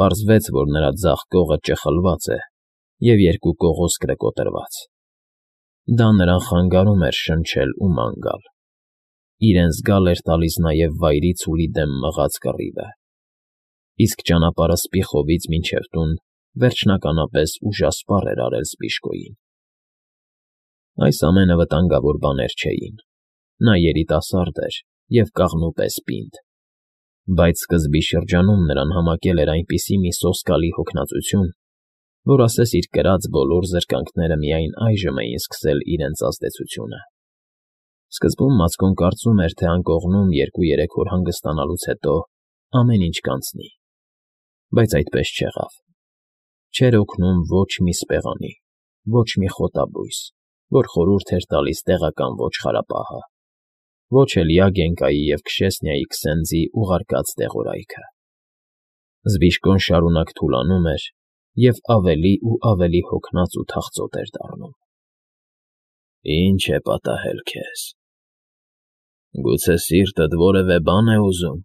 Պարզվեց, որ նրա ձախ կողը ճխլված է և երկու կողոսկրը կոտրված. դա նրան խանգարում էր շնչել ու ման գալ, իրեն զգալ էր տալիս նաև վայրի ցուլի դեմ մղած կռիվը, իսկ ճանապարհը Սպիխովից մինչև տուն վերջնականապես ուժասպառ էր արել Սպիշկոյին։ Այս ամենը վտանգավոր բաներ չէին, նա երիտասարդ էր և կաղնու պես պինդ, բայց սկզբի շրջանում նրան համակել էր այնպիսի մի սոսկալի հոգնածություն, որ ասես իր կրած բոլոր զրկանքները միայն այժմ էին սկսել իրենց ազդեցությունը։ Սկզբում Մացկոն կարծում էր, թե անկողնում 2-3 օր հանգստանալուց հետո ամեն ինչ կանցնի, բայց այդպես չեղավ։ Չէր օգնում ոչ մի սպեղանի, ոչ մի խոտաբույս, որ խորհուրդ էր տալիս տեղական ոչխարապահը, ոչ էլ Յագենկայի և Քշեսնիայի քսենձի ուղարկած տեղորայքը։ Զբիշկոն շարունակ թուլանում էր և ավելի ու ավելի հոգնած ու թախծոտ էր դառնում։ «Ի՞նչ է պատահել քեզ, գուցե սիրտդ որևէ բան է ուզում,֊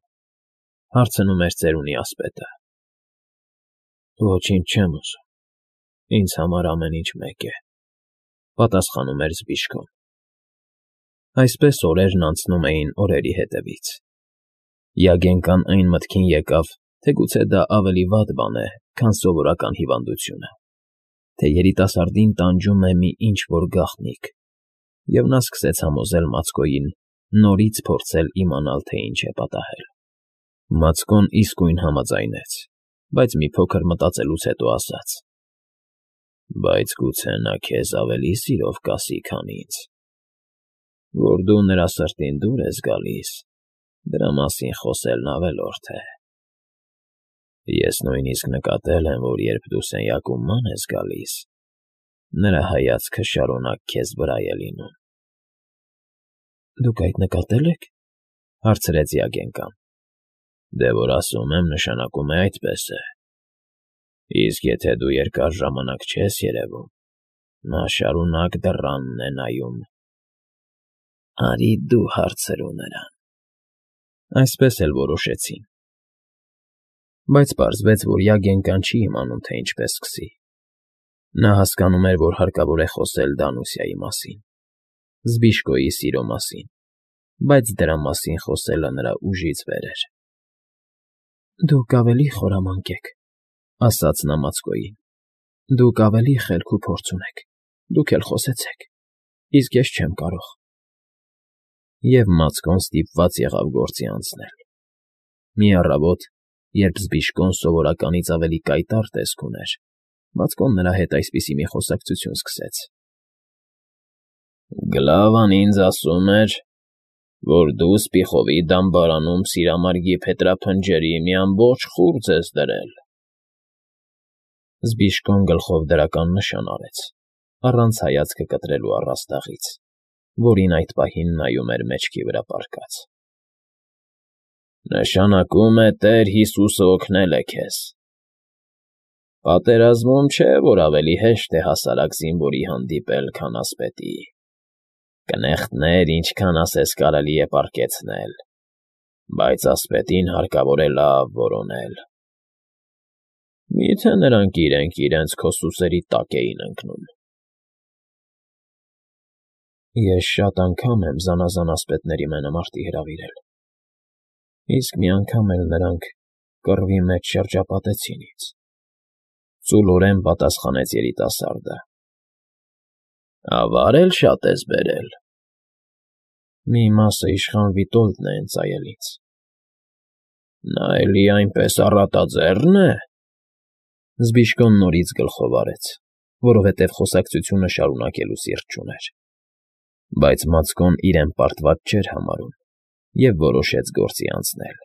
հարցնում էր ծերունի ասպետը։ «Ոչինչ չեմ ուզում, ինձ համար ամեն ինչ մեկ է,֊ պատասխանում էր Զբիշկոն։ Այսպես օրերն անցնում էին օրերի հետևից։ Յագենկան այն մտքին եկավ, թե գուցե դա ավելի վատ բան է, քան սովորական հիվանդությունը, թե երիտասարդին տանջում է մի ինչ֊որ գաղտնիք, և նա սկսեց համոզել Մացկոյին նորից փորձել իմանալ, թե ինչ է պատահել։ Մացկոն իսկույն համաձայնեց, բայց մի փոքր մտածելուց հետո ասաց. «Բայց գուցե նա քեզ ավելի սիրով կասի, քան ինձ, որ դու նրա սրտին դուր ես գալիս, դրա մասին խոսելն ավելորդ է։ Ես նույնիսկ նկատել եմ, որ երբ դու սենյակում ման ես գալիս, նրա հայացքը շարունակ քեզ վրա է լինում»։ «Դուք այդ նկատել եք,֊ հարցրեց Յագենկան։ Դե որ ասում եմ, նշանակում է այդպես է։ Իսկ եթե դու երկար ժամանակ չես երևում, նա շարունակ դռանն է նայում։ Արի դու հարցրու նրան»։ Այսպես էլ որոշեցին։ Բայց պարզվեց, որ Յագենկան չի իմանում, թե ինչպես սկսի։ Նա հասկանում էր, որ հարկավոր է խոսել Դանուսիայի մասին, Զբիշկոյի սիրո մասին, բայց դրա մասին խոսելը նրա ուժից վեր էր։ «Դուք ավելի խորամանկ եք,֊ ասաց նա Մացկոյին։ «Դուք ավելի խելք ու փորձ ունեք, դուք էլ խոսեցեք, իսկ ես չեմ կարող»։ Եվ Մացկոն ստիպված եղավ գործի անցնել։ Մի առավոտ, երբ Զբիշկոն սովորականից ավելի կայտառ տեսք ուներ, Մացկոն նրա հետ այսպիսի մի խոսակցություն սկսեց. «Գլավան ինձ ասում էր, որ դու Սպիխովի դամբարանում սիրամարգի փետրափնջերի մի ամբողջ խուրձ ես դրել»։ Զբիշկոն գլխով դրական նշան արեց, առանց հայացքը կտրելու առաստաղից, որին այդ պահին նայում էր մեջքի վրա պառկած։ «Նշանակում է Տեր Հիսուսը օգնել է քեզ։ Պատերազմում չէ, որ ավելի հեշտ է հասարակ զինվորի հանդիպել, քան ասպետի։ Կնեղտներ ինչքան ասես կարելի է պառկեցնել, բայց ասպետին հարկավոր է լավ որոնել։ Մի՞թե նրանք իրենց քո սուսերի տակ էին ընկնում»։ Ես շատ անգամ եմ զանազան ասպետների մենամարտի հրավիրել, իսկ մի անգամ էլ նրանք կռվի մեջ շրջապատեցին ինձ,֊ ծուլորեն պատասխանեց երիտասարդը։ «Ավա՞ր էլ շատ ես բերել»։ Մի մասը իշխան Վիտոլդն է ընծայել ինձ։ «Նա էլի այնպես առատաձեռն է,֊ Զբիշկոն նորից գլխով արեց, որովհետև խոսակցությունը շարունակելու սիրտ չուներ։ Բայց Մացկոն իրեն պարտված չէր համարում և որոշեց գործի անցնել։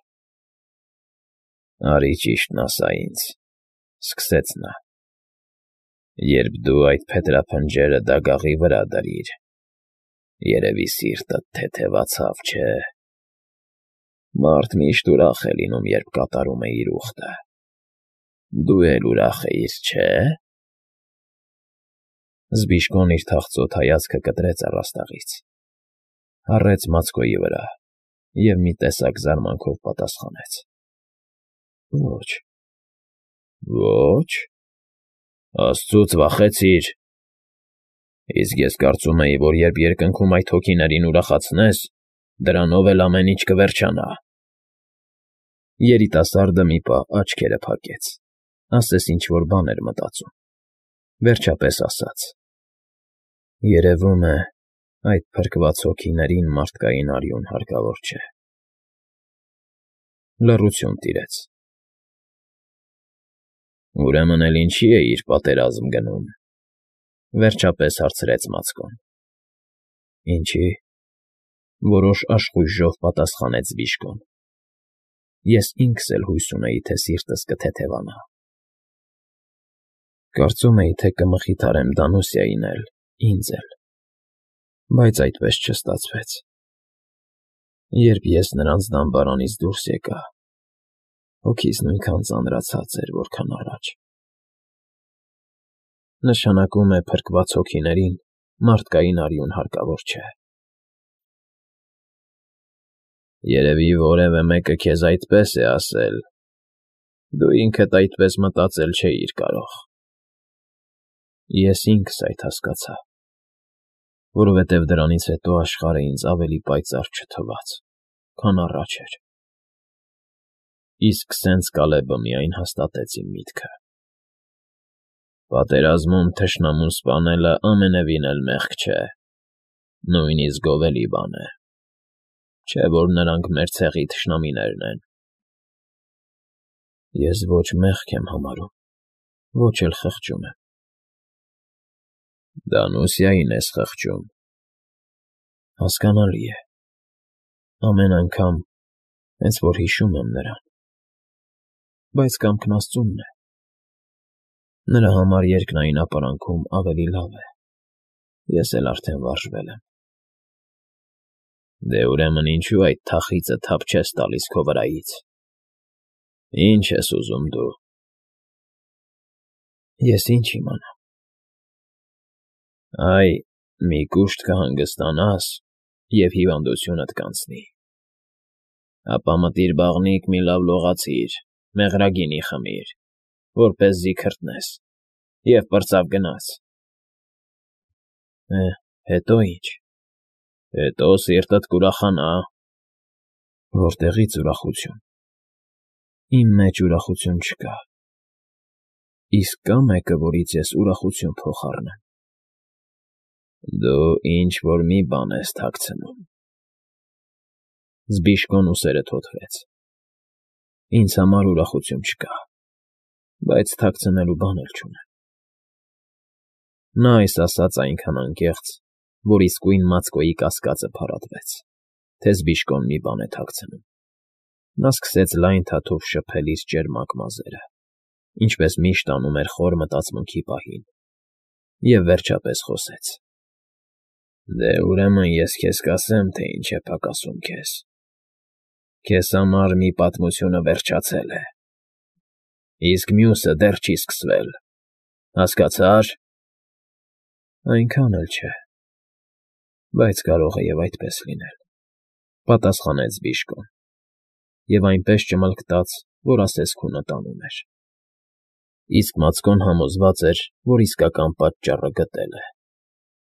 «Արի ճիշտն ասա ինձ,֊ սկսեց նա,֊ երբ դու այդ փետրափնջերը դագաղի վրա դրիր, երևի սիրտդ թեթևացավ, չէ՞։ Մարդ միշտ ուրախ է լինում, երբ կատարում է իր ուխտը։ Դու էլ ուրախ էիր, չէ՞։ Զբիշկոն իր թախծոտ հայացքը կտրեց առաստաղից, հառեց Մացկոյի վրա և մի տեսակ զարմանքով պատասխանեց. «Ոչ, Ոչ, աստծուց վախեցիր։ Իսկ ես կարծում էի, որ երբ երկնքում այդ հոգիներին ուրախացնես, դրանով էլ ամեն ինչ կվերջանա։ Երիտասարդը մի պահ աչքերը փակեց, ասես ինչ-որ բան էր մտածում, վերջապես ասաց. Երևում է, այդ փրկված հոգիներին մարդկային արյուն հարկավոր չէ։ Լռություն տիրեց։ Ուրեմն էլ ինչի էիր պատերազմ գնում, վերջապես հարցրեց Մացկոն։ Ինչի, որոշ աշխույժով պատասխանեց Բիժկոն։ Ես ինքս էլ հույս ունեի, թե սիրտս կթեթևանա։ Կարծում էի, թե կմխիթարեմ Դանուսիային էլ, ինձ էլ, բայց այդպես չստացվեց։ Երբ ես նրանց դամբարանից դուրս եկա, հոգիս նույնքան ծանրացած էր, որքան առաջ։ Նշանակում է փրկված հոգիներին մարդկային արյուն հարկավոր չէ։ Երևի որևէ մեկը քեզ այդպես է ասել, դու ինքդ այդպես մտածել չէիր կարող։ Ես ինքս այդ հասկացա, որովհետև դրանից հետո աշխարհը ինձ ավելի պայծառ չթվաց, քան առաջ էր։ Իսկ սենց Կալեբը միայն հաստատեց իմ միտքը։ Պատերազմում թշնամուն սպանելը ամենևին էլ մեղք չէ, նույնիսկ գովելի բան է, չէ՞ որ նրանք մեր ցեղի թշնամիներն են։ Ես ոչ մեղք եմ համարում, ոչ էլ խղճում եմ։ Դանուսիային ես խղճում։ Հասկանալի է։ Ամեն անգամ, հենց որ հիշում եմ նրան, բայց կամքն Աստծունն է։ Նրա համար երկնային ապարանքում ավելի լավ է։ Ես էլ արդեն վարժվել եմ։ Դե ուրեմն ինչու այդ թախիծը թափ չես տալիս քո վրայից։ Ինչ ես ուզում դու։ Ես ինչ իմանամ։ Այ, մի կուշտ կհանգստանաս, և հիվանդությունդ կանցնի։ Ապա մտիր բաղնիք մի լավ լողացիր, մեղրագինի խմիր, որպեսզի քրտնես, և պրծավ գնաց։ Հետո ի՞նչ։ Հետո սիրտդ կուրախանա։ Որտեղի՞ց ուրախություն։ Իմ մեջ ուրախություն չկա։ Իսկ կա՞ մեկը, որից ես ուրախություն փոխառնեմ։ Դու ինչ֊որ մի բան ես թաքցնում։ Զբիշկոն ուսերը թոթվեց։ Ինձ համար ուրախություն չկա, բայց թաքցնելու բան էլ չունեմ։ Նա այս ասաց այնքան անկեղծ, որ իսկույն Մացկոյի կասկածը փարատվեց, թե Զբիշկոն մի բան է թաքցնում։ Նա սկսեց լայն թաթով շփել իր ճերմակ մազերը, ինչպես միշտ անում էր խոր մտածմունքի պահին, և վերջապես խոսեց. Դե ուրեմն ես քեզ կասեմ, թե ինչ է պակասում քեզ։ Քեզ համար մի պատմությունը վերջացել է, իսկ մյուսը դեռ չի սկսվել, հասկացա՞ր։ Այնքան էլ չէ, բայց կարող է և այդպես լինել, պատասխանեց Բիժկոն, և այնպես ճմլկտաց, որ ասես քունը տանում էր։ Իսկ Մացկոն համոզված էր, որ իսկական պատճառը գտել է,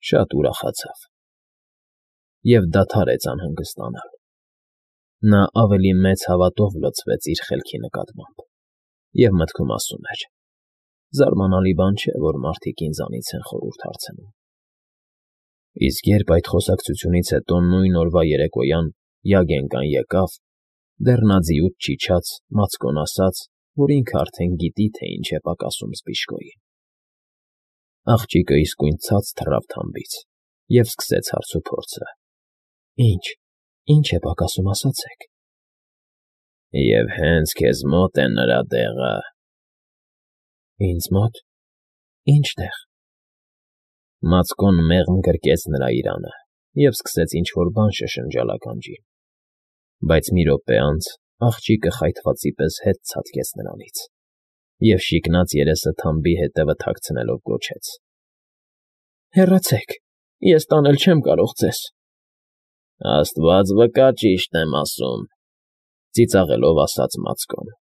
շատ ուրախացավ և դադարեց անհանգստանալ։ Նա ավելի մեծ հավատով լցվեց իր խելքի նկատմամբ և մտքում ասում էր. զարմանալի բան չէ, որ մարդիկ ինձանից են խորհուրդ հարցնում։ Իսկ երբ այդ խոսակցությունից հետո նույն օրվա երեկոյան Յագենկան եկավ, դեռ նա ձիուց չիջած, Մացկոն ասաց, որ ինքը արդեն գիտի, թե ինչ է պակասում Զբիշկոյին։ Աղջիկը իսկույն ցած թռավ թամբից և սկսեց հարցուփորձը. Ինչ է պակասում, ասացեք։ Եվ հենց քեզ մոտ է նրա տեղը։ Ինձ մոտ։ Ինչ տեղ։ Մացկոն մեղմ գրկեց նրա իրանը և սկսեց ինչ֊որ բան շշնջալ ականջին, բայց մի րոպե անց աղջիկը խայթվածի պես հետ ցատկեց նրանից և շիկնած երեսը թամբի ետևը թաքցնելով գոչեց. Հեռացեք, ես տանել չեմ կարող ձեզ։ Աստված վկա, ճիշտ եմ ասում, ծիծաղելով ասաց Մացկոն։